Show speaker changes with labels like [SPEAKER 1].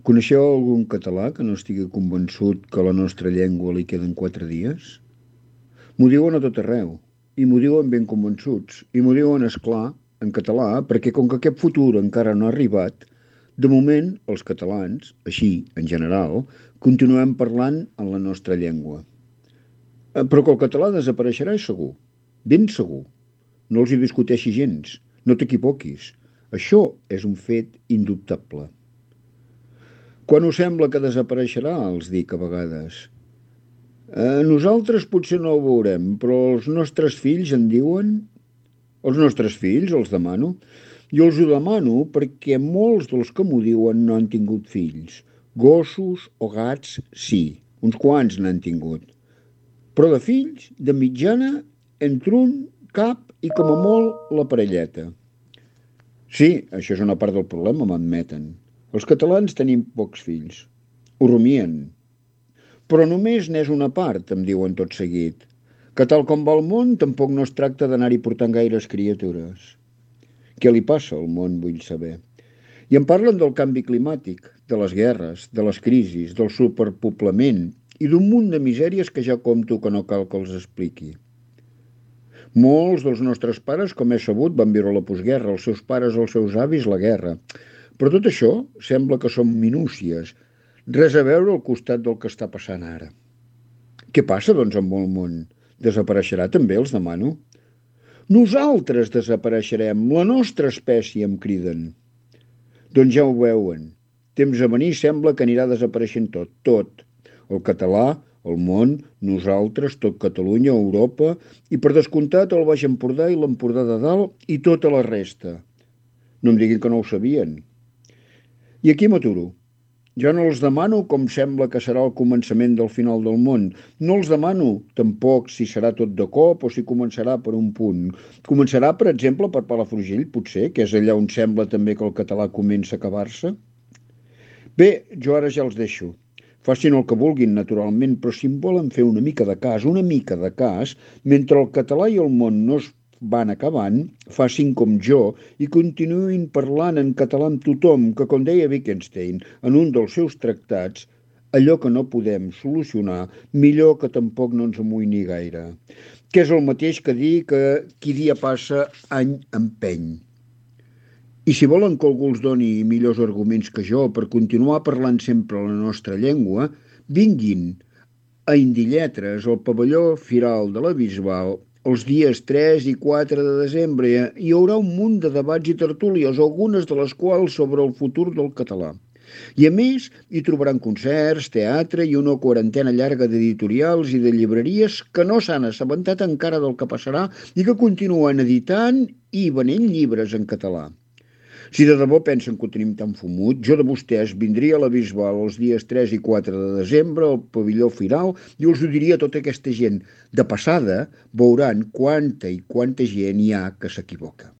[SPEAKER 1] Coneixeu algun català que no estigui convençut que a la nostra llengua li queden 4 dies? M'ho diuen a tot arreu, i m'ho diuen ben convençuts, i m'ho diuen, és clar, en català, perquè com que aquest futur encara no ha arribat, de moment, els catalans, així, en general, continuem parlant en la nostra llengua. Però que el català desapareixerà és segur, ben segur. No els hi discuteixi gens, no t'equivoquis. Això és un fet indubtable. Quan us sembla que desapareixerà, els dic a vegades. Nosaltres potser no ho veurem, però els nostres fills en diuen... Els nostres fills, els demano. Jo els ho demano perquè molts dels que m'ho diuen no han tingut fills. Gossos o gats, sí, uns quants n'han tingut. Però de fills, de mitjana, entre un, cap i com a molt la parelleta. Sí, això és una part del problema, m'admeten. Els catalans tenim pocs fills. Ho rumien. Però només n'és una part, em diuen tot seguit. Que tal com va el món, tampoc no es tracta d'anar-hi portant gaires criatures. Què li passa al món, vull saber. I em parlen del canvi climàtic, de les guerres, de les crisis, del superpoblament i d'un munt de misèries que ja compto que no cal que els expliqui. Molts dels nostres pares, com he sabut, van viure la postguerra, els seus pares, els seus avis, la guerra. Però tot això sembla que són minúcies, res a veure al costat del que està passant ara. Què passa, doncs, amb el món? Desapareixerà també, els demano? Nosaltres desapareixerem, la nostra espècie, em criden. Doncs ja ho veuen. Temps a venir sembla que anirà desapareixent tot, tot. El català, el món, nosaltres, tot Catalunya, Europa i per descomptat el Baix Empordà i l'Empordà de Dalt i tota la resta. No em diguin que no ho sabien. I aquí m'aturo. Jo no els demano com sembla que serà el començament del final del món. No els demano tampoc si serà tot de cop o si començarà per un punt. Començarà, per exemple, per Palafrugell, potser, que és allà on sembla també que el català comença a acabar-se. Bé, jo ara ja els deixo. Facin el que vulguin, naturalment, però si em volen fer una mica de cas, mentre el català i el món no es van acabant, facin com jo i continuïn parlant en català amb tothom, que, com deia Wittgenstein en un dels seus tractats, allò que no podem solucionar, millor que tampoc no ens amoïni gaire. Que és el mateix que dir que qui dia passa, any empeny. I si volen que algú els doni millors arguments que jo per continuar parlant sempre la nostra llengua, vinguin a Indilletres, al pavelló Firal de la Bisbal, els dies 3 i 4 de desembre. Hi haurà un munt de debats i tertúlies, algunes de les quals sobre el futur del català. I a més, hi trobaran concerts, teatre i una quarantena llarga d'editorials i de llibreries que no s'han assabentat encara del que passarà i que continuen editant i venent llibres en català. Si de debò pensen que ho tenim tan fumut, jo de vostès vindria a la Bisbal els dies 3 i 4 de desembre al pavelló Firal i us ho diria a tota aquesta gent. De passada, veuran quanta i quanta gent hi ha que s'equivoca.